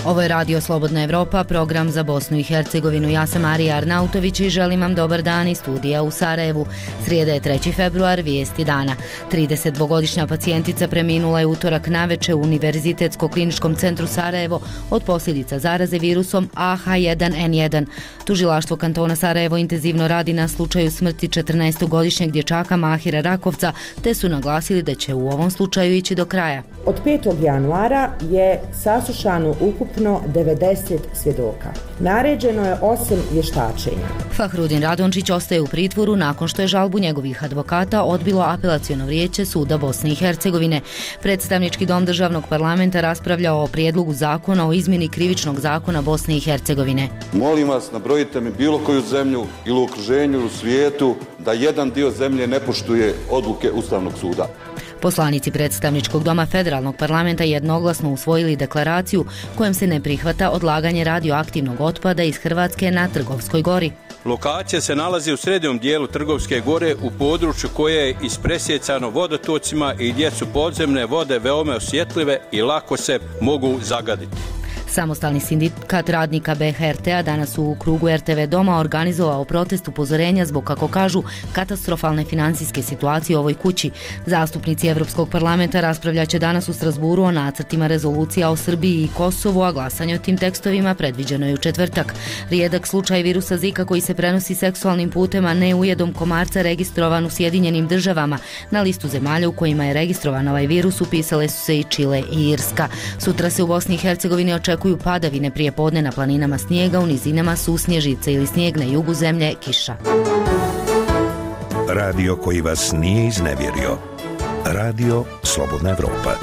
Ovo je Radio Slobodna Evropa, program za Bosnu i Hercegovinu. Ja sam Marija Arnautović i želim vam dobar dan iz studija u Sarajevu. Srijeda je 3. februar, vijesti dana. 32-godišnja pacijentica preminula je utorak naveče u Univerzitetsko kliničkom centru Sarajevo od posljedica zaraze virusom AH1N1. Tužilaštvo kantona Sarajevo intenzivno radi na slučaju smrti 14-godišnjeg dječaka Mahira Rakovca, te su naglasili da će u ovom slučaju ići do kraja. Od 5. januara je saslušano ukupno 90 svjedoka. Naređeno je 8 vještačenja. Fahrudin Radončić ostaje u pritvoru nakon što je žalbu njegovih advokata odbilo apelaciono vijeće Suda Bosne i Hercegovine. Predstavnički dom državnog parlamenta raspravljao o prijedlogu zakona o izmjeni krivičnog zakona Bosne i Hercegovine. Molim vas, nabrojite mi bilo koju zemlju ili u okruženju u svijetu da jedan dio zemlje ne poštuje odluke Ustavnog suda. Poslanici predstavničkog doma federalnog parlamenta jednoglasno usvojili deklaraciju kojom se ne prihvata odlaganje radioaktivnog otpada iz Hrvatske na Trgovskoj gori. Lokacija se nalazi u srednjem dijelu Trgovske gore u području koje je ispresjecano vodotocima i gdje su podzemne vode veoma osjetljive i lako se mogu zagaditi. Samostalni sindikat radnika BHRT-a danas u krugu RTV doma organizovao protest upozorenja zbog, kako kažu, katastrofalne financijske situacije u ovoj kući. Zastupnici Europskog parlamenta raspravljat će danas u Strasburu o nacrtima rezolucija o Srbiji i Kosovu, a glasanje o tim tekstovima predviđeno je u četvrtak. Rijedak slučaj virusa Zika koji se prenosi seksualnim putem, a ne ujedom komarca, registrovan u Sjedinjenim državama. Na listu zemalja u kojima je registrovan ovaj virus upisale su se i Čile i Irska. Sutra se u Bosni i Hercegovini očekuju padavine, prije podne na planinama snijega, u nizinama susnježice ili snijeg, na jugu zemlje kiša. Radio koji vas nije iznevjerio. Radio Slobodna Evropa.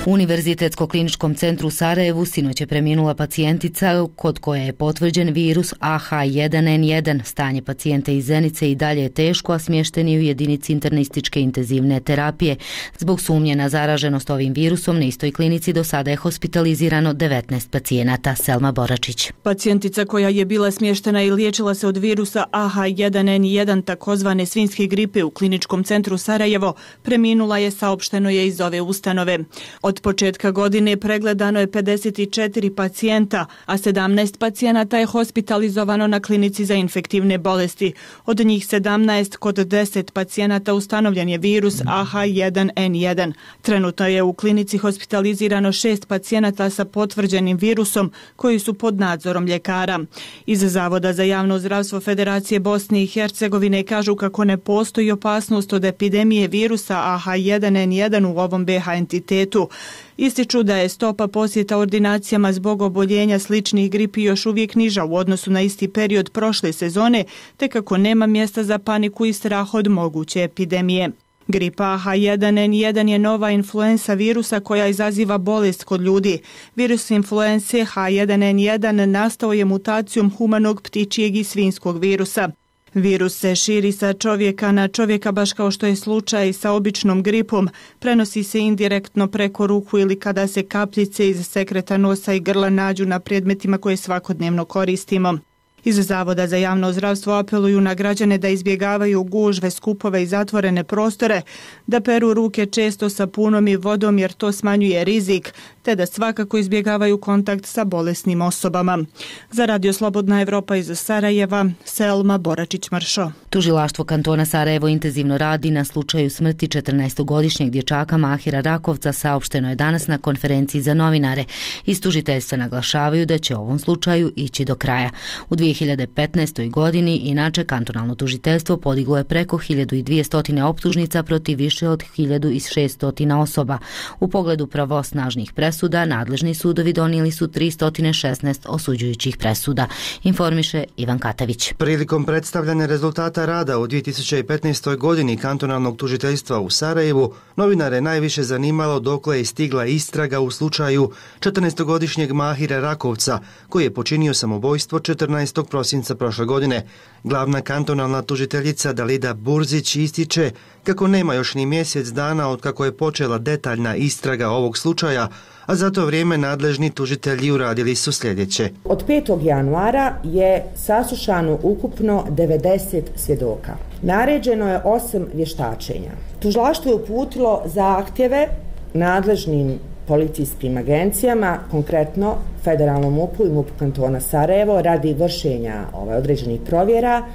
U Univerzitetsko kliničkom centru u Sarajevu sinoć je preminula pacijentica kod koje je potvrđen virus AH1N1. Stanje pacijente iz Zenice i dalje je teško, a smješten je u jedinici internističke intenzivne terapije. Zbog sumnje na zaraženost ovim virusom na istoj klinici do sada je hospitalizirano 19 pacijenata. Selma Boračić. Pacijentica koja je bila smještena i liječila se od virusa AH1N1 takozvane svinjske gripe u kliničkom centru Sarajevo preminula je, saopšteno je iz ove ustanove. Od početka godine pregledano je 54 pacijenta, a 17 pacijenata je hospitalizovano na klinici za infektivne bolesti. Od njih 17 kod 10 pacijenata ustanovljen je virus AH1N1. Trenutno je u klinici hospitalizirano 6 pacijenata sa potvrđenim virusom koji su pod nadzorom ljekara. Iz Zavoda za javno zdravstvo Federacije Bosne i Hercegovine kažu kako ne postoji opasnost od epidemije virusa AH1N1 u ovom BH entitetu. Ističu da je stopa posjeta ordinacijama zbog oboljenja sličnih gripi još uvijek niža u odnosu na isti period prošle sezone, te kako nema mjesta za paniku i strah od moguće epidemije. Gripa H1N1 je nova influensa virusa koja izaziva bolest kod ljudi. Virus influense H1N1 nastao je mutacijom humanog, ptičijeg i svinjskog virusa. Virus se širi sa čovjeka na čovjeka, baš kao što je slučaj sa običnom gripom. Prenosi se indirektno preko ruku ili kada se kapljice iz sekreta nosa i grla nađu na predmetima koje svakodnevno koristimo. Iz Zavoda za javno zdravstvo apeluju na građane da izbjegavaju gužve, skupove i zatvorene prostore, da peru ruke često sapunom i vodom jer to smanjuje rizik, te da svakako izbjegavaju kontakt sa bolesnim osobama. Za Radio Slobodna Evropa iz Sarajeva, Selma Boračić-Mršo. Tužilaštvo kantona Sarajevo intenzivno radi na slučaju smrti 14-godišnjeg dječaka Mahira Rakovca, saopšteno je danas na konferenciji za novinare. Iz tužiteljstva naglašavaju da će u ovom slučaju ići do kraja. U 2015. godini inače kantonalno tužiteljstvo podiglo je preko 1200 optužnica protiv više od 1600 osoba. U pogledu pravosnažnih presuda nadležni sudovi donijeli su 316 osuđujućih presuda, informiše Ivan Katavić. Prilikom predstavljanja rezultata rada u 2015. godini kantonalnog tužiteljstva u Sarajevu, novinare najviše zanimalo dokle je stigla istraga u slučaju 14-godišnjeg Mahira Rakovca, koji je počinio samobojstvo 14. prosinca prošle godine. Glavna kantonalna tužiteljica Dalida Burzić ističe kako nema još ni mjesec dana od kako je počela detaljna istraga ovog slučaja, a za to vrijeme nadležni tužitelji uradili su sljedeće. Od 5. januara je saslušano ukupno 90 svjedoka. Naređeno je 8 vještačenja. Tužilaštvo je uputilo zahtjeve nadležnim policijskim agencijama, konkretno Federalnom MUP-u i MUP kantona Sarajevo radi vršenja određenih provjera,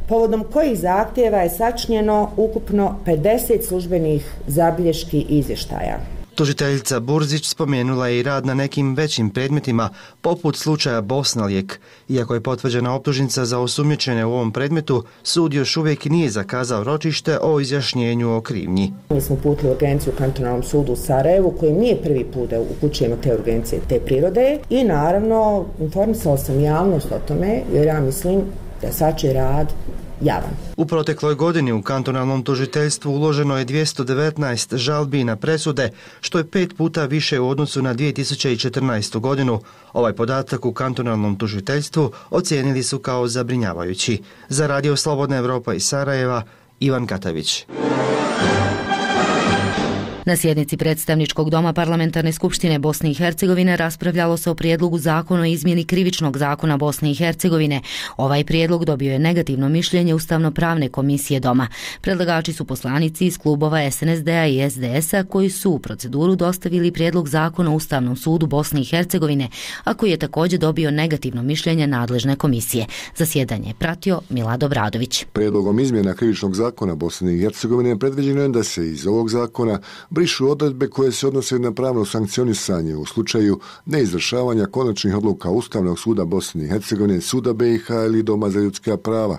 povodom kojih zahtjeva je sačinjeno ukupno 50 službenih zabilješki i izvještaja. Tužiteljica Burzić spomenula je i rad na nekim većim predmetima, poput slučaja Bosnalijek. Iako je potvrđena optužnica za osumnjičene u ovom predmetu, sud još uvijek nije zakazao ročište o izjašnjenju o krivnji. Mi smo uputili urgenciju u kantonalnom sudu u Sarajevu, koji nije prvi put da upućujemo te urgencije te prirode, i naravno informisala sam javnost o tome, jer ja mislim da je svačiji rad javan. U protekloj godini u kantonalnom tužiteljstvu uloženo je 219 žalbi na presude, što je 5 puta više u odnosu na 2014. godinu. Ovaj podatak u kantonalnom tužiteljstvu ocijenili su kao zabrinjavajući. Za Radio Slobodna Evropa iz Sarajeva, Ivan Katavić. Na sjednici predstavničkog doma Parlamentarne skupštine Bosne i Hercegovine raspravljalo se o prijedlogu zakona o izmjeni krivičnog zakona Bosne i Hercegovine. Ovaj prijedlog dobio je negativno mišljenje Ustavno-pravne komisije doma. Predlagači su poslanici iz klubova SNSD-a i SDS-a koji su u proceduru dostavili prijedlog zakona o Ustavnom sudu Bosne i Hercegovine, a koji je također dobio negativno mišljenje nadležne komisije. Zasjedanje je pratio Milad Obradović. Prijedlogom izmjena krivičnog zakona Bosne i Hercegovine predviđeno je da se iz ovog zakona brišu odredbe koje se odnose na pravno sankcionisanje u slučaju neizvršavanja konačnih odluka Ustavnog suda Bosne i Hercegovine, Suda BiH ili Doma za ljudska prava.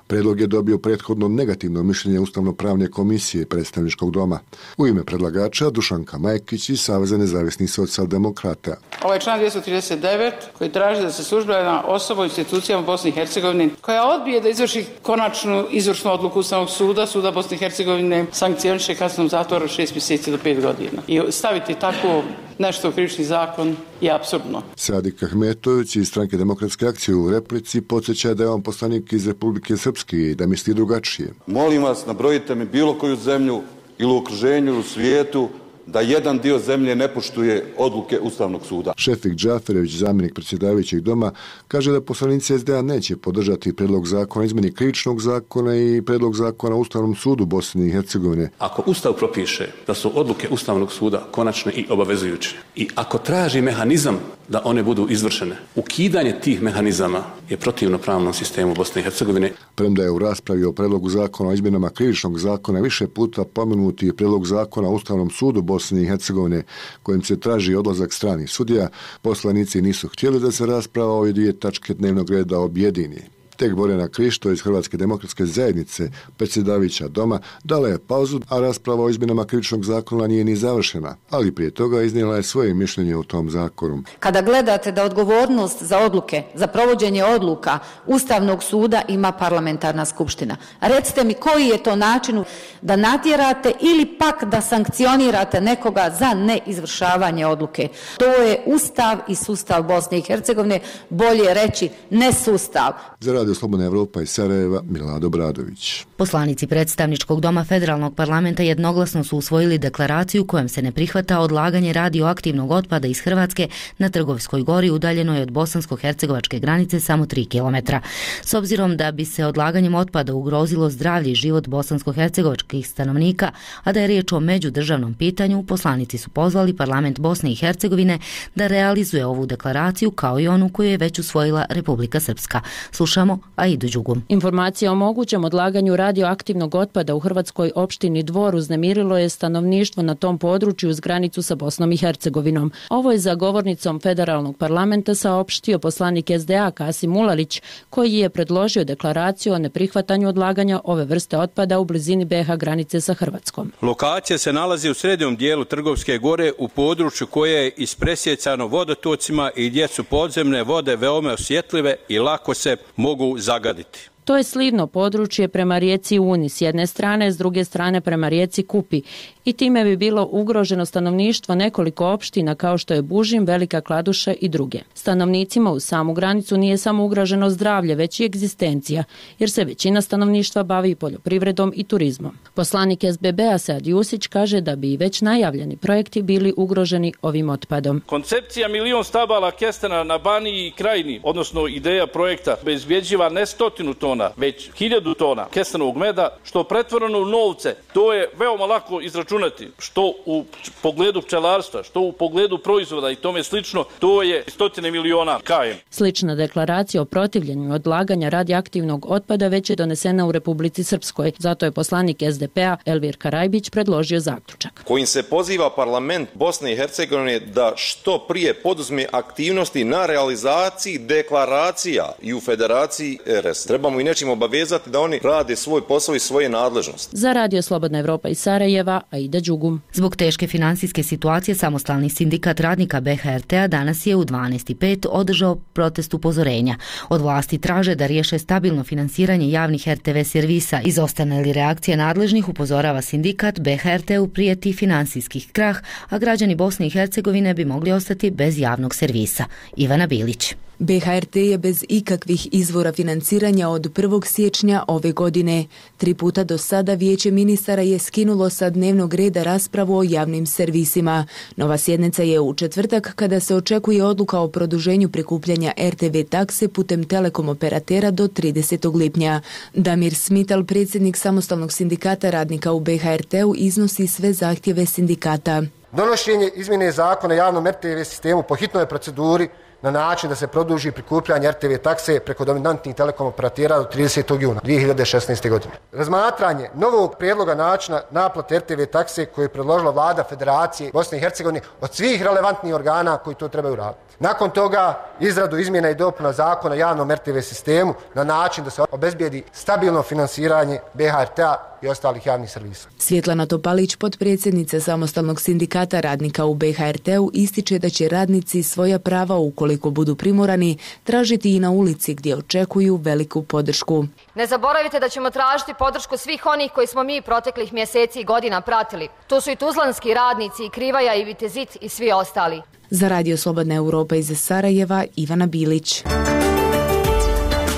Predlog je dobio prethodno negativno mišljenje Ustavno-pravne komisije predstavničkog doma. U ime predlagača Dušanka Majkić iz Saveza nezavisnih socijaldemokrata. Ovaj član 239 koji traži da se službena osoba u institucijama Bosne i Hercegovine koja odbije da izvrši konačnu izvršnu odluku Ustavnog suda, Suda Bosne i Hercegovine, sankcioniše kaznom zatvora 6 mjeseci do 5 godina. I staviti tako nešto u krivični zakon je apsurdno. Sadik Ahmetović iz Stranke demokratske akcije u replici podsjeća da je on poslanik iz Republike Srpske i da misli drugačije. Molim vas, nabrojite mi bilo koju zemlju ili u okruženju ili u svijetu da jedan dio zemlje ne poštuje odluke Ustavnog suda. Šefik Džaferević, zamjenik predsjedavajućeg doma, kaže da poslanici SDA neće podržati predlog zakona o izmjeni krivičnog zakona i predlog zakona o Ustavnom sudu Bosne i Hercegovine. Ako Ustav propiše da su odluke Ustavnog suda konačne i obavezujuće i ako traži mehanizam da one budu izvršene, ukidanje tih mehanizama je protivno pravnom sistemu Bosne i Hercegovine. Premda je u raspravi o predlogu zakona o izmjenama krivičnog zakona više puta pomenuti predlog zakona o Ustavnom sudu Bosne i Hercegovine kojim se traži odlazak stranih sudija, poslanici nisu htjeli da se rasprava o ove dvije tačke dnevnog reda objedini. Tek Borjana Krišto iz Hrvatske demokratske zajednice, predsjedavajuća doma, dala je pauzu, a rasprava o izmjenama krivičnog zakona nije ni završena, ali prije toga iznijela je svoje mišljenje o tom zakonu. Kada gledate da odgovornost za odluke, za provođenje odluka Ustavnog suda ima parlamentarna skupština, recite mi koji je to način da natjerate ili pak da sankcionirate nekoga za neizvršavanje odluke. To je Ustav i sustav Bosne i Hercegovine, bolje reći nesustav. Za Radio Slobodna Evropa iz Sarajeva, Milad Obradović. Poslanici predstavničkog doma Federalnog parlamenta jednoglasno su usvojili deklaraciju kojom se ne prihvata odlaganje radioaktivnog otpada iz Hrvatske na Trgovskoj gori udaljenoj od bosansko-hercegovačke granice samo 3 km. S obzirom da bi se odlaganjem otpada ugrozilo zdravlje i život bosansko-hercegovačkih stanovnika, a da je riječ o međudržavnom pitanju, poslanici su pozvali parlament Bosne i Hercegovine da realizuje ovu deklaraciju kao i onu koju je već usvojila Republika Srpska. Slušamo Aidu Đugum. Informacija o mogućem odlaganju radioaktivnog otpada u hrvatskoj opštini Dvor uznemirilo je stanovništvo na tom području uz granicu sa Bosnom i Hercegovinom. Ovo je za govornicom federalnog parlamenta saopštio poslanik SDA Kasim Ulalić, koji je predložio deklaraciju o neprihvatanju odlaganja ove vrste otpada u blizini BiH granice sa Hrvatskom. Lokacija se nalazi u srednjem dijelu Trgovske gore u području koje je ispresjecano vodotocima i gdje su podzemne vode veoma osjetljive i lako se mogu zagaditi. To je slivno područje prema rijeci Uni s jedne strane, s druge strane prema rijeci Kupi i time bi bilo ugroženo stanovništvo nekoliko opština kao što je Bužim, Velika Kladuša i druge. Stanovnicima uz samu granicu nije samo ugroženo zdravlje, već i egzistencija, jer se većina stanovništva bavi poljoprivredom i turizmom. Poslanik SBB-a Sead Jusić kaže da bi i već najavljeni projekti bili ugroženi ovim otpadom. Koncepcija 1.000.000 stabala kestena na Baniji i Krajini, odnosno ideja projekta, obezbjeđiva ne 100 tona, tona, već 1000 tona kesenovog meda, što pretvoreno u novce, to je veoma lako izračunati, što u pogledu pčelarstva, što u pogledu proizvoda i tome slično, to je 100 miliona km. Slična deklaracija o protivljenju odlaganja radioaktivnog otpada već je donesena u Republici Srpskoj. Zato je poslanik SDP-a Elvir Karajbić predložio zaključak kojim se poziva parlament Bosne i Hercegovine da što prije poduzme aktivnosti na realizaciji deklaracija i u Federaciji RS. Trebamo i nečim obavezati da oni rade svoj posao i svoje nadležnosti. Za Radio Slobodna Evropa iz Sarajeva, Aida Đugum. Zbog teške financijske situacije samostalni sindikat radnika BHRT-a danas je u 12:05 održao protest upozorenja. Od vlasti traže da riješe stabilno finansiranje javnih RTV servisa. Izostane li reakcija nadležnih, upozorava sindikat, BHRT-u prijeti finansijskih krah, a građani Bosne i Hercegovine bi mogli ostati bez javnog servisa. Ivana Bilić. BHRT je bez ikakvih izvora financiranja od 1. siječnja ove godine. 3 puta do sada Vijeće ministara je skinulo sa dnevnog reda raspravu o javnim servisima. Nova sjednica je u četvrtak kada se očekuje odluka o produženju prikupljanja RTV takse putem telekom operatera do 30. lipnja. Damir Smital, predsjednik samostalnog sindikata radnika u BHRT-u, iznosi sve zahtjeve sindikata. Donošenje izmjene zakona o javnom RTV sistemu po hitnoj proceduri na način da se produži prikupljanje RTV takse preko dominantnih telekom operatera do 30. juna 2016. godine. Razmatranje novog prijedloga načina naplate RTV takse koje je predložila vlada Federacije Bosne i Hercegovine od svih relevantnih organa koji to trebaju raditi. Nakon toga izradu izmjena i dopuna zakona o javnom RTV sistemu na način da se obezbijedi stabilno finansiranje BHRT-a i ostalih javnih servisa. Svjetlana Topalić, potpredsjednica samostalnog sindikata radnika u BHRT-u, ističe da će radnici svoja prava, ukoliko budu primorani, tražiti i na ulici gdje očekuju veliku podršku. Ne zaboravite da ćemo tražiti podršku svih onih koji smo mi proteklih mjeseci i godina pratili. Tu su i tuzlanski radnici, i Krivaja, i Vitezit i svi ostali. Za Radio Slobodna Europa iz Sarajeva, Ivana Bilić.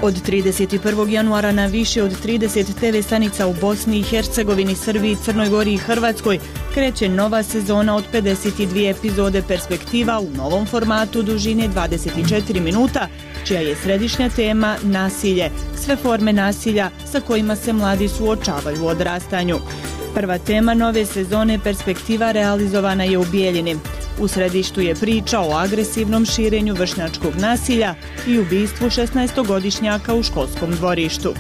Od 31. januara na više od 30 TV stanica u Bosni i Hercegovini, Srbiji, Crnoj Gori i Hrvatskoj kreće nova sezona od 52 epizode Perspektiva u novom formatu dužine 24 minuta, čija je središnja tema nasilje, sve forme nasilja sa kojima se mladi suočavaju u odrastanju. Prva tema nove sezone Perspektiva realizovana je u Bijeljini. U središtu je priča o agresivnom širenju vršnjačkog nasilja i ubistvu 16-godišnjaka u školskom dvorištu.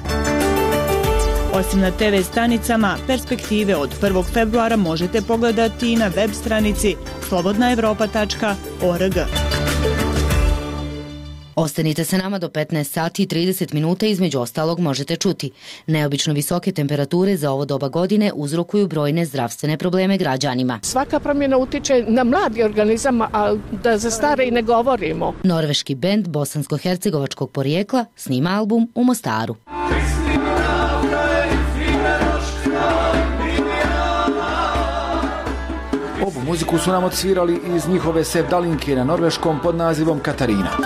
Osim na TV stanicama, Perspektive od 1. februara možete pogledati i na web stranici slobodnaevropa.org. Ostanite sa nama do 15 sati i 30 minuta, između ostalog možete čuti. Neobično visoke temperature za ovo doba godine uzrokuju brojne zdravstvene probleme građanima. Svaka promjena utiče na mladi organizam, a da za stare i ne govorimo. Norveški bend bosansko-hercegovačkog porijekla snima album u Mostaru. Ovu muziku su nam odsvirali iz njihove sevdalinke na norveškom pod nazivom Katarina.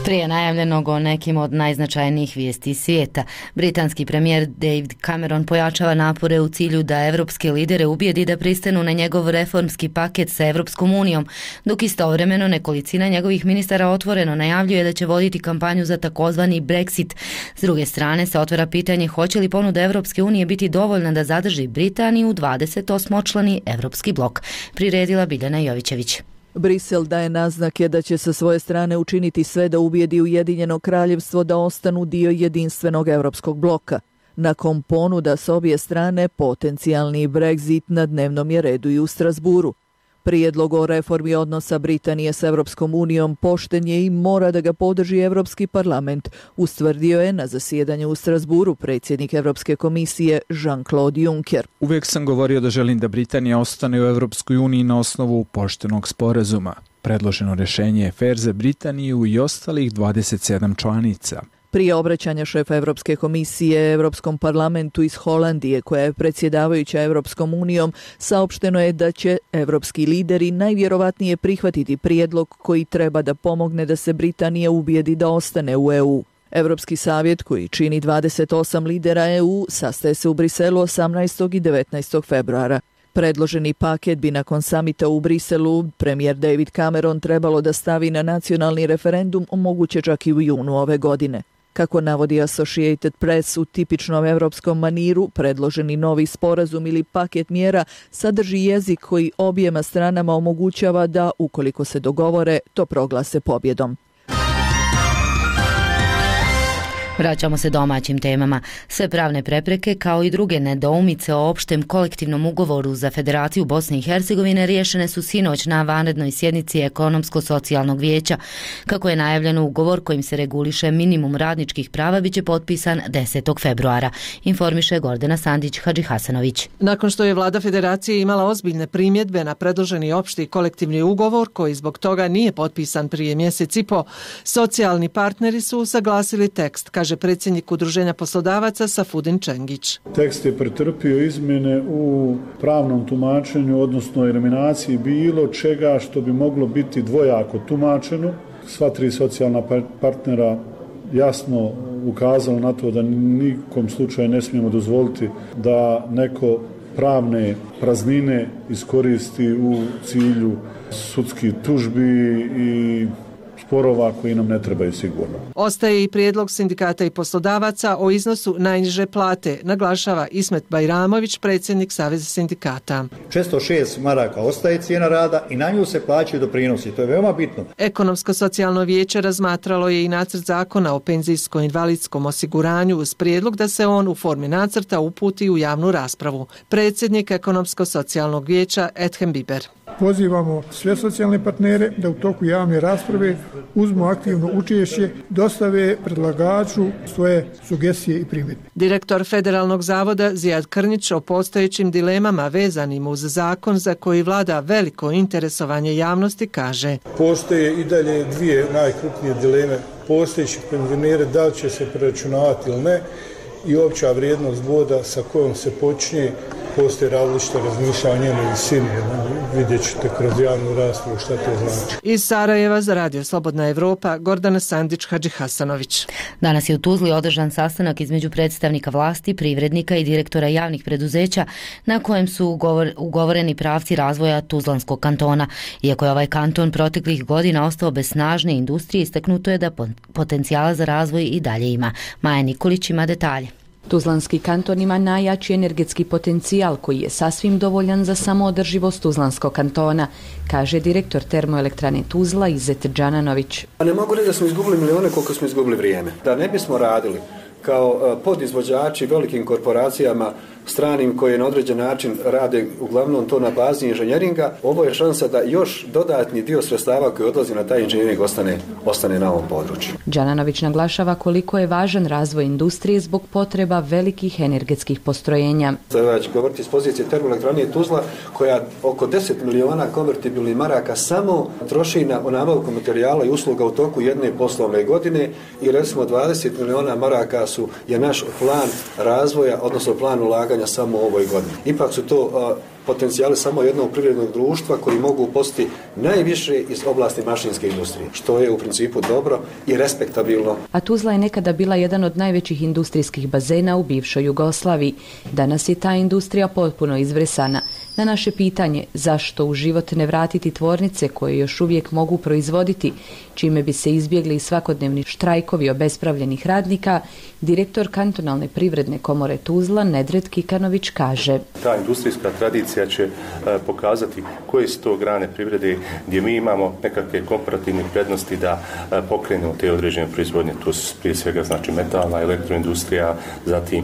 Prije najavljenog o nekim od najznačajnijih vijesti svijeta, britanski premijer David Cameron pojačava napore u cilju da evropske lidere ubijedi da pristanu na njegov reformski paket sa Evropskom unijom, dok istovremeno nekolicina njegovih ministara otvoreno najavljuje da će voditi kampanju za takozvani Brexit. S druge strane se otvara pitanje hoće li ponuda Evropske unije biti dovoljna da zadrži Britaniju u 28-člani Evropski blok. Priredila Biljana Jovićević. Brisel daje naznake da će sa svoje strane učiniti sve da ubijedi Ujedinjeno kraljevstvo da ostanu dio jedinstvenog evropskog bloka. Nakon ponuda s obje strane, potencijalni Brexit na dnevnom je redu i u Strasburu. Prijedlog o reformi odnosa Britanije s Evropskom unijom pošten je i mora da ga podrži Evropski parlament, ustvrdio je na zasjedanju u Strasburu predsjednik Evropske komisije Jean-Claude Juncker. Uvijek sam govorio da želim da Britanija ostane u Evropskoj uniji na osnovu poštenog sporazuma. Predloženo rješenje je fer za Britaniju i ostalih 27 članica. Prije obraćanja šefa Evropske komisije Evropskom parlamentu iz Holandije, koja je predsjedavajuća Evropskom unijom, saopšteno je da će evropski lideri najvjerovatnije prihvatiti prijedlog koji treba da pomogne da se Britanija ubijedi da ostane u EU. Evropski savjet, koji čini 28 lidera EU, sastaje se u Briselu 18. i 19. februara. Predloženi paket bi nakon samita u Briselu premijer David Cameron trebalo da stavi na nacionalni referendum, moguće čak i u junu ove godine. Kako navodi Associated Press, u tipičnom evropskom maniru, predloženi novi sporazum ili paket mjera sadrži jezik koji objema stranama omogućava da, ukoliko se dogovore, to proglase pobjedom. Vraćamo se domaćim temama. Sve pravne prepreke kao i druge nedoumice o opštem kolektivnom ugovoru za Federaciju Bosne i Hercegovine riješene su sinoć na vanrednoj sjednici Ekonomsko-socijalnog vijeća. Kako je najavljeno, ugovor kojim se reguliše minimum radničkih prava biće potpisan 10. februara, informiše Gordana Sandić-Hadžihasanović. Nakon što je vlada Federacije imala ozbiljne primjedbe na predloženi opšti kolektivni ugovor koji zbog toga nije potpisan prije mjesec i po, socijalni partneri su usaglasili tekst, kaže predsjednik Udruženja poslodavaca Safudin Čengić. Tekst je pretrpio izmjene u pravnom tumačenju, odnosno eliminaciji bilo čega što bi moglo biti dvojako tumačeno. Sva tri socijalna partnera jasno ukazalo na to da nikom slučaju ne smijemo dozvoliti da neko pravne praznine iskoristi u cilju sudskih tužbi i sporova koji nam ne trebaju sigurno. Ostaje i prijedlog sindikata i poslodavaca o iznosu najniže plate, naglašava Ismet Bajramović, predsjednik Saveza sindikata. 606 maraka ostaje cijena rada i na nju se plaćaju doprinosi. To je veoma bitno. Ekonomsko-socijalno vijeće razmatralo je i nacrt zakona o penzijsko-invalidskom osiguranju uz prijedlog da se on u formi nacrta uputi u javnu raspravu. Predsjednik Ekonomsko-socijalnog vijeća Ethem Biber. Pozivamo sve socijalne partnere da u toku javne rasprave uzmu aktivno učešće, dostave predlagaču svoje sugestije i primjedbe. Direktor Federalnog zavoda Zijad Krnić o postojećim dilemama vezanim uz zakon za koji vlada veliko interesovanje javnosti kaže. Postoje i dalje dvije najkrupnije dileme postojećih penzionera, da li će se preračunavati ili ne, i opća vrijednost boda sa kojom se počinje. Postoje različite razmišljanja o njenoj visini. Vidjet ćete kroz javnu raspravu šta to znači. Iz Sarajeva za Radio Slobodna Evropa, Gordana Sandić-Hadžihasanović. Danas je u Tuzli održan sastanak između predstavnika vlasti, privrednika i direktora javnih preduzeća na kojem su ugovoreni pravci razvoja Tuzlanskog kantona. Iako je ovaj kanton proteklih godina ostao bez snažne industrije, istaknuto je da potencijala za razvoj i dalje ima. Maja Nikolić ima detalje. Tuzlanski kanton ima najjači energetski potencijal koji je sasvim dovoljan za samoodrživost Tuzlanskog kantona, kaže direktor termoelektrane Tuzla Izet Džananović. Ne mogu reći da smo izgubili milijone koliko smo izgubili vrijeme. Da ne bismo radili kao podizvođači velikim korporacijama stranim koje na određen način rade uglavnom to na bazi inženjeringa, ovo je šansa da još dodatni dio sredstava koji odlazi na taj inženjering ostane na ovom području. Džananović naglašava koliko je važan razvoj industrije zbog potreba velikih energetskih postrojenja. Sada ću govoriti iz pozicije termoelektrane Tuzla koja oko 10 miliona konvertibilnih maraka samo troši na nabavku materijala i usluga u toku jedne poslovne godine i recimo 20 miliona maraka je naš plan razvoja, odnosno plan ulaganja samo u ovoj godini. Ipak su to potencijali samo jednog privrednog društva koji mogu postati najviše iz oblasti mašinske industrije, što je u principu dobro i respektabilno. A Tuzla je nekada bila jedan od najvećih industrijskih bazena u bivšoj Jugoslaviji. Danas je ta industrija potpuno izvresana. Na naše pitanje zašto u život ne vratiti tvornice koje još uvijek mogu proizvoditi, čime bi se izbjegli svakodnevni štrajkovi obespravljenih radnika, direktor kantonalne privredne komore Tuzla Nedret Kikanović kaže. Ta industrijska tradicija će pokazati koje su to grane privrede gdje mi imamo nekakve komparativne prednosti da pokrenemo te određene proizvodnje. To su prije svega znači metalna, elektroindustrija, zatim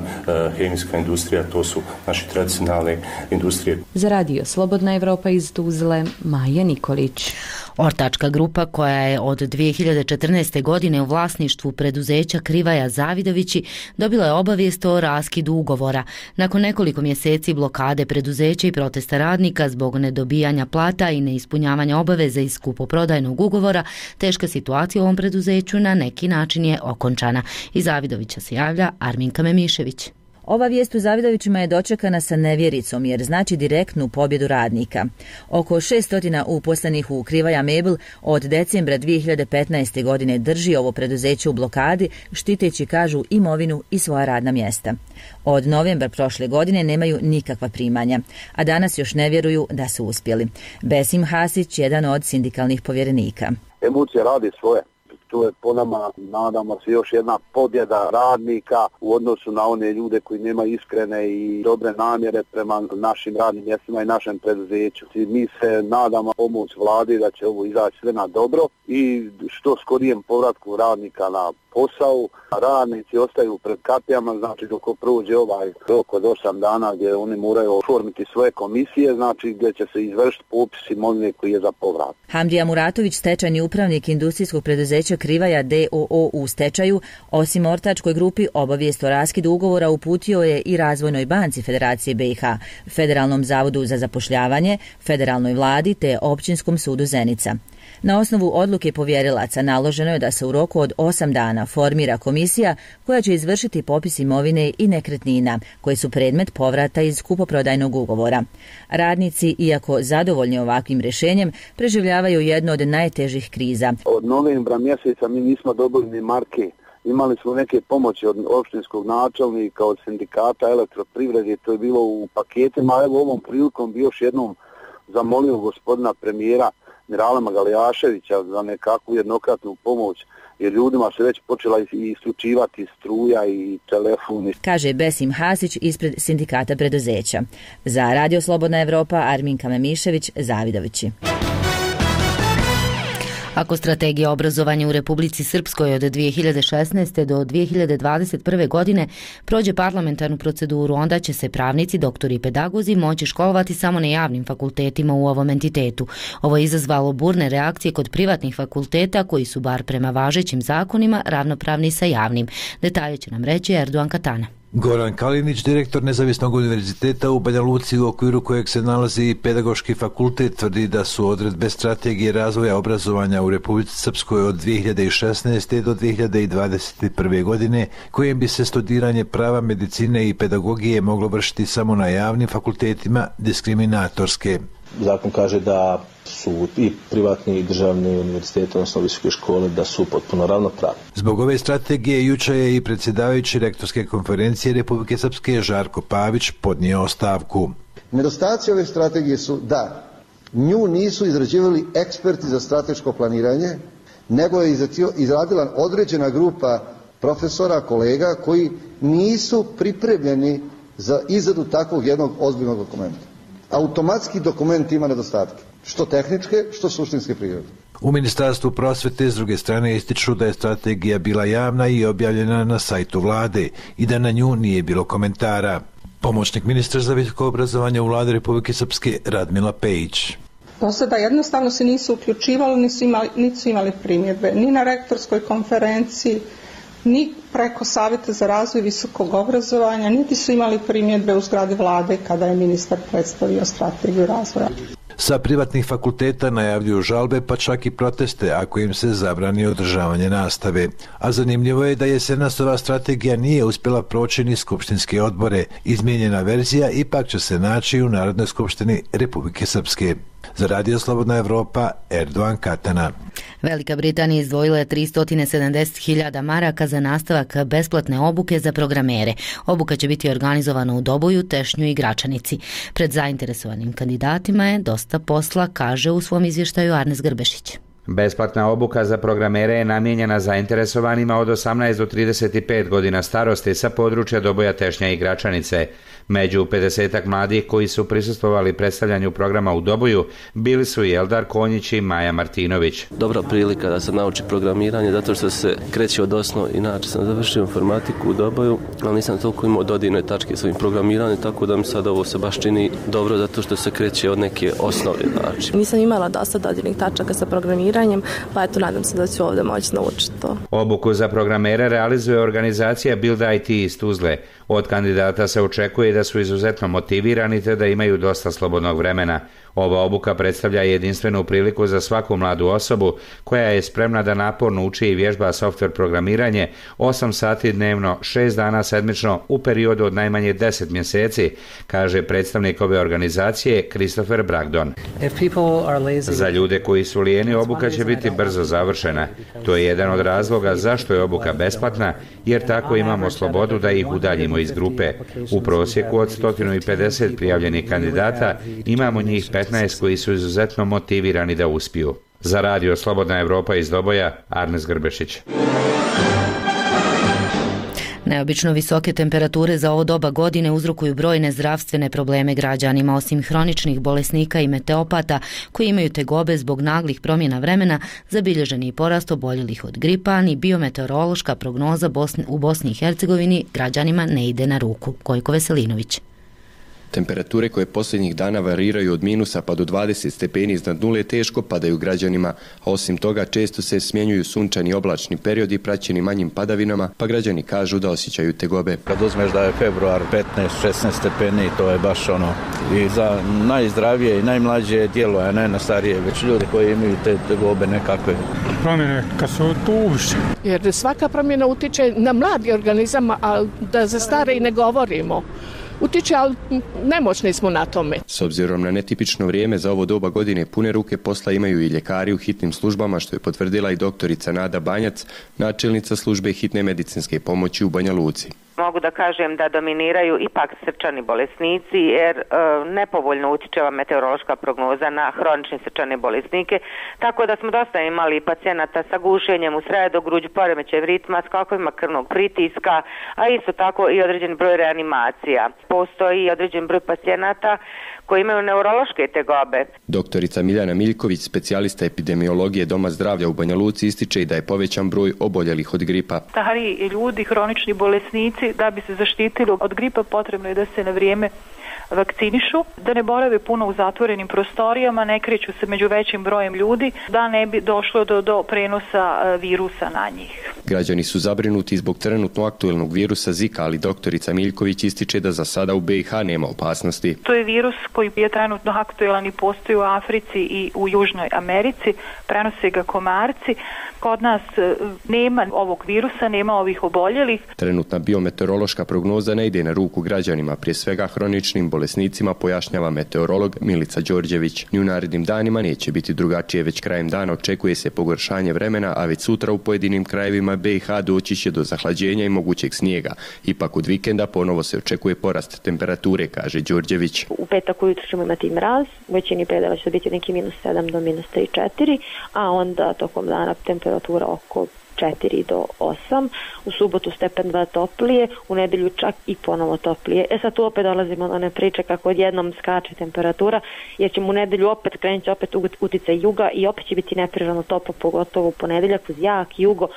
hemijska industrija, to su naše tradicionalne industrije. Za Radio Slobodna Evropa iz Tuzle, Maja Nikolić. Ortačka grupa koja je od 2014. godine u vlasništvu preduzeća Krivaja Zavidovići dobila je obavijest o raskidu ugovora. Nakon nekoliko mjeseci blokade preduzeća i protesta radnika zbog nedobijanja plata i neispunjavanja obaveze iz kupoprodajnog ugovora, teška situacija u ovom preduzeću na neki način je okončana. Iz Zavidovića se javlja Arminka Memišević. Ova vijest u Zavidovićima je dočekana sa nevjericom jer znači direktnu pobjedu radnika. Oko 600 uposlenih u Krivaja Mebel od decembra 2015. godine drži ovo preduzeće u blokadi, štiteći, kažu, imovinu i svoja radna mjesta. Od novembra prošle godine nemaju nikakva primanja, a danas još ne vjeruju da su uspjeli. Besim Hasić, jedan od sindikalnih povjerenika. Emocije radi svoje. To je po nama, nadamo se, još jedna pobjeda radnika u odnosu na one ljude koji nemaju iskrene i dobre namjere prema našim radnim mjestima i našem preduzeću. Mi se nadamo pomoć vladi da će ovo izaći sve na dobro i što skorijem povratku radnika na posao. Radnici ostaju pred kapijama, znači dok prođe ovaj rok od 8 dana gdje oni moraju oformiti svoje komisije, znači gdje će se izvršiti popis imovine koji je za povrat. Hamdija Muratović, stečajni upravnik industrijskog preduzeća Krivaja d.o.o. u stečaju, osim ortačkoj grupi, obavijest o raskidu ugovora uputio je i Razvojnoj banci Federacije BiH, Federalnom zavodu za zapošljavanje, Federalnoj vladi te Općinskom sudu Zenica. Na osnovu odluke povjerilaca naloženo je da se u roku od 8 dana formira komisija koja će izvršiti popis imovine i nekretnina koji su predmet povrata iz kupoprodajnog ugovora. Radnici, iako zadovoljni ovakvim rješenjem, preživljavaju jednu od najtežih kriza. Od novembra mjeseca mi nismo dobili ni marke. Imali smo neke pomoći od opštinskog načelnika, od sindikata elektroprivrede, to je bilo u paketima. Evo ovom prilikom bi još jednom zamolio gospodina premijera Mirala Magalijaševića za nekakvu jednokratnu pomoć, jer ljudima se već počela isključivati struja i telefon. Kaže Besim Hasić ispred sindikata preduzeća. Za Radio Slobodna Evropa, Arminka Memišević, Zavidovići. Ako strategija obrazovanja u Republici Srpskoj od 2016. do 2021. godine prođe parlamentarnu proceduru, onda će se pravnici, doktori i pedagozi moći školovati samo na javnim fakultetima u ovom entitetu. Ovo je izazvalo burne reakcije kod privatnih fakulteta koji su, bar prema važećim zakonima, ravnopravni sa javnim. Detalje će nam reći Erdogan Katana. Goran Kalinić, direktor Nezavisnog univerziteta u Banja Luci, u okviru kojeg se nalazi i pedagoški fakultet, tvrdi da su odredbe strategije razvoja obrazovanja u Republici Srpskoj od 2016. do 2021. godine, kojem bi se studiranje prava, medicine i pedagogije moglo vršiti samo na javnim fakultetima, diskriminatorske. Zakon kaže da su i privatni i državni univerziteti, odnosno visoke škole, da su potpuno ravnopravni. Zbog ove strategije jučer je i predsjedavajući rektorske konferencije Republike Srpske Žarko Pavić podnio ostavku. Nedostaci ove strategije su da nju nisu izrađivali eksperti za strateško planiranje, nego je izradila određena grupa profesora, kolega koji nisu pripremljeni za izradu takvog jednog ozbiljnog dokumenta. Automatski dokument ima nedostatke, što tehničke, što suštinske prirode. U Ministarstvu prosvete s druge strane ističu da je strategija bila javna i objavljena na sajtu vlade i da na nju nije bilo komentara. Pomoćnik ministra za visoko obrazovanje u vladi Republike Srpske Radmila Pejić. Do sada jednostavno se nisu uključivali, niti su imali primjedbe ni na rektorskoj konferenciji, ni preko Savjeta za razvoj visokog obrazovanja, niti su imali primjedbe u zgradi vlade kada je ministar predstavio strategiju razvoja. Sa privatnih fakulteta najavljuju žalbe, pa čak i proteste ako im se zabrani održavanje nastave. A zanimljivo je da jesenasova strategija nije uspjela proći ni skupštinske odbore. Izmijenjena verzija ipak će se naći u Narodnoj skupštini Republike Srpske. Za Radio Slobodna Evropa, Erdogan Katana. Velika Britanija izdvojila je 370.000 maraka za nastavak besplatne obuke za programere. Obuka će biti organizovana u Doboju, Tešnju i Gračanici. Pred zainteresovanim kandidatima je dosta posla, kaže u svom izvještaju Arnes Grbešić. Besplatna obuka za programere je namijenjena zainteresovanima od 18 do 35 godina starosti sa područja Doboja, Tešnja i Gračanice. Među 50-ak mladih koji su prisustvovali predstavljanju programa u Doboju bili su i Eldar Konjić i Maja Martinović. Dobra prilika da se nauči programiranje, zato što se kreće od osnova. Inače sam završio informatiku u Doboju, ali nisam toliko imao dodirne tačke s ovim programiranjem, tako da mi sad ovo se baš čini dobro, zato što se kreće od neke osnove. Znači. Nisam imala dosta dodirnih tačaka sa programiranjem, pa eto nadam se da ću ovdje moći naučiti to. Obuku za programere realizuje organizacija Build IT iz Tuzle. Od kandidata se očekuje da su izuzetno motivirani te da imaju dosta slobodnog vremena. Ova obuka predstavlja jedinstvenu priliku za svaku mladu osobu koja je spremna da naporno uči i vježba software programiranje 8 sati dnevno, 6 dana sedmično u periodu od najmanje 10 mjeseci, kaže predstavnik ove organizacije Christopher Bragdon. Za ljude koji su lijeni, obuka će biti brzo završena. To je jedan od razloga zašto je obuka besplatna, jer tako imamo slobodu da ih udaljimo iz grupe. U prosjeku od 150 prijavljenih kandidata imamo njih 15 koji su izuzetno motivirani da uspiju. Za radio Slobodna Evropa iz Doboja, Arnes Grbešić. Neobično visoke temperature za ovo doba godine uzrokuju brojne zdravstvene probleme građanima. Osim hroničnih bolesnika i meteopata koji imaju tegobe zbog naglih promjena vremena, zabilježen je i porast oboljelih od gripa, ni biometeorološka prognoza u Bosni i Hercegovini građanima ne ide na ruku. Gojko Veselinović. Temperature koje posljednjih dana variraju od minusa pa do 20 stepeni iznad nule teško padaju građanima, a osim toga često se smjenjuju sunčani oblačni periodi praćeni manjim padavinama, pa građani kažu da osjećaju tegobe. Kad uzmeš da je februar 15-16 stepeni, to je baš i za najzdravije i najmlađe djelo, a ne na starije, već ljude koji imaju te tegobe nekakve. Promjene kad su tu uviše. Jer svaka promjena utiče na mladi organizam, a da za stare i ne govorimo. Utiče, ali nemoćni smo na tome. S obzirom na netipično vrijeme za ovo doba godine, pune ruke posla imaju i ljekari u hitnim službama, što je potvrdila i doktorica Nada Banjac, načelnica službe hitne medicinske pomoći u Banja Luci. Mogu da kažem da dominiraju ipak srčani bolesnici, jer nepovoljno utiče ova meteorološka prognoza na hronične srčane bolesnike, tako da smo dosta imali pacijenata sa gušenjem u sredogruđu, poremećajem ritma, skokovima krvnog pritiska, a isto tako i određen broj reanimacija. Postoji određen broj pacijenata koji imaju neurološke tegobe. Doktorica Miljana Miljković, specijalista epidemiologije Doma zdravlja u Banja Luci, ističe i da je povećan broj oboljelih od gripa. Stariji ljudi, hronični bolesnici, da bi se zaštitili od gripa potrebno je da se na vrijeme vakcinišu, da ne borave puno u zatvorenim prostorijama, ne kreću se među većim brojem ljudi, da ne bi došlo do prenosa virusa na njih. Građani su zabrinuti zbog trenutno aktuelnog virusa Zika, ali doktorica Miljković ističe da za sada u BiH nema opasnosti. To je virus koji je trenutno aktuelan i postoji u Africi i u Južnoj Americi, prenose ga komarci. Kod nas nema ovog virusa, nema ovih oboljelih. Trenutna biometeorološka prognoza ne ide na ruku građanima, prije svega hroničnim bolesnicima, pojašnjava meteorolog Milica Đorđević. Ni u narednim danima neće biti drugačije, već krajem dana očekuje se pogoršanje vremena, a već sutra u pojedinim krajevima BiH doći će do zahlađenja i mogućeg snijega. Ipak od vikenda ponovo se očekuje porast temperature, kaže Đorđević. U petak ujutro ćemo imati mraz, u većini predela će biti neki -7 do -3-4, a onda tokom dana temperatura oko 4 do 8, u subotu stepen 2 toplije, u nedjelju čak i ponovo toplije. Sad tu opet dolazimo do one priče kako odjednom skače temperatura, jer ćemo u nedjelju krenuti opet uticaj juga i opet će biti neprirodno toplo, pogotovo u ponedjeljak uz jak jugo,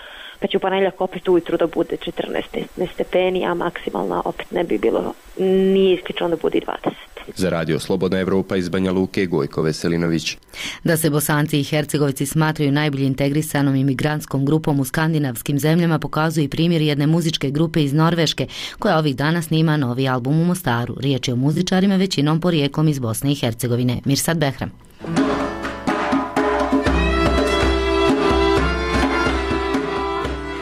pa će u ponedjeljak opet ujutru da bude 14 stepeni, a maksimalna opet ne bi bilo, nije isključeno da bude 20. Za radio Slobodna Evropa iz Banja Luke, Gojko Veselinović. Da se Bosanci i Hercegovci smatraju najbolje integrisanom imigrantskom grupom u skandinavskim zemljama pokazuje i primjer jedne muzičke grupe iz Norveške koja ovih dana snima novi album u Mostaru. Riječ je o muzičarima većinom porijeklom iz Bosne i Hercegovine. Mirsad Behram.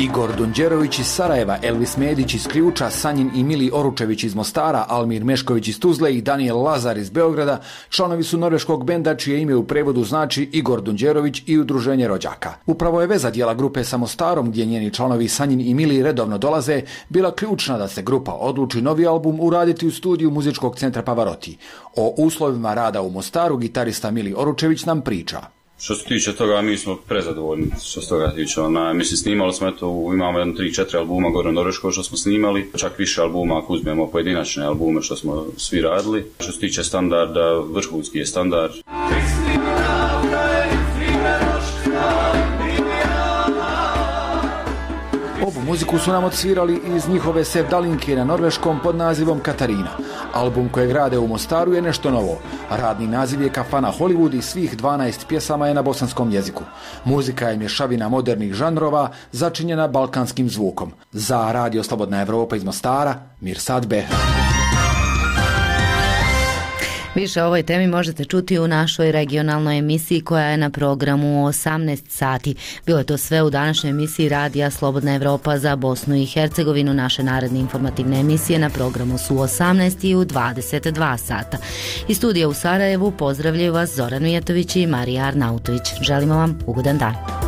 Igor Donđerović iz Sarajeva, Elvis Medić iz Ključa, Sanjin i Mili Oručević iz Mostara, Almir Mešković iz Tuzle i Daniel Lazar iz Beograda članovi su norveškog benda čije ime u prevodu znači Igor Donđerović i udruženje rođaka. Upravo je veza dijela grupe sa Mostarom, gdje njeni članovi Sanjin i Mili redovno dolaze, bila ključna da se grupa odluči novi album uraditi u studiju muzičkog centra Pavarotti. O uslovima rada u Mostaru gitarista Mili Oručević nam priča. Što se tiče toga, mi smo prezadovoljni što se toga tiče. Mislim, snimali smo, imamo 3-4 albuma gore u Norveškoj što smo snimali, čak više albuma ako uzmemo pojedinačne albume što smo svi radili. Što se tiče standarda, vrhunski je standard. Ovu muziku su nam odsvirali iz njihove sevdalinke na norveškom pod nazivom Katarina. Album kojeg rade u Mostaru je nešto novo. Radni naziv je Kafana Hollywood i svih 12 pjesama je na bosanskom jeziku. Muzika je mješavina modernih žanrova začinjena balkanskim zvukom. Za radio Slobodna Evropa iz Mostara, Mirsad Behram. Više o ovoj temi možete čuti u našoj regionalnoj emisiji koja je na programu 18 sati. Bilo je to sve u današnjoj emisiji Radija Slobodna Evropa za Bosnu i Hercegovinu. Naše naredne informativne emisije na programu su 18 i u 22 sata. Iz studija u Sarajevu pozdravljaju vas Zoran Mijatović i Marija Arnautović. Želimo vam ugodan dan.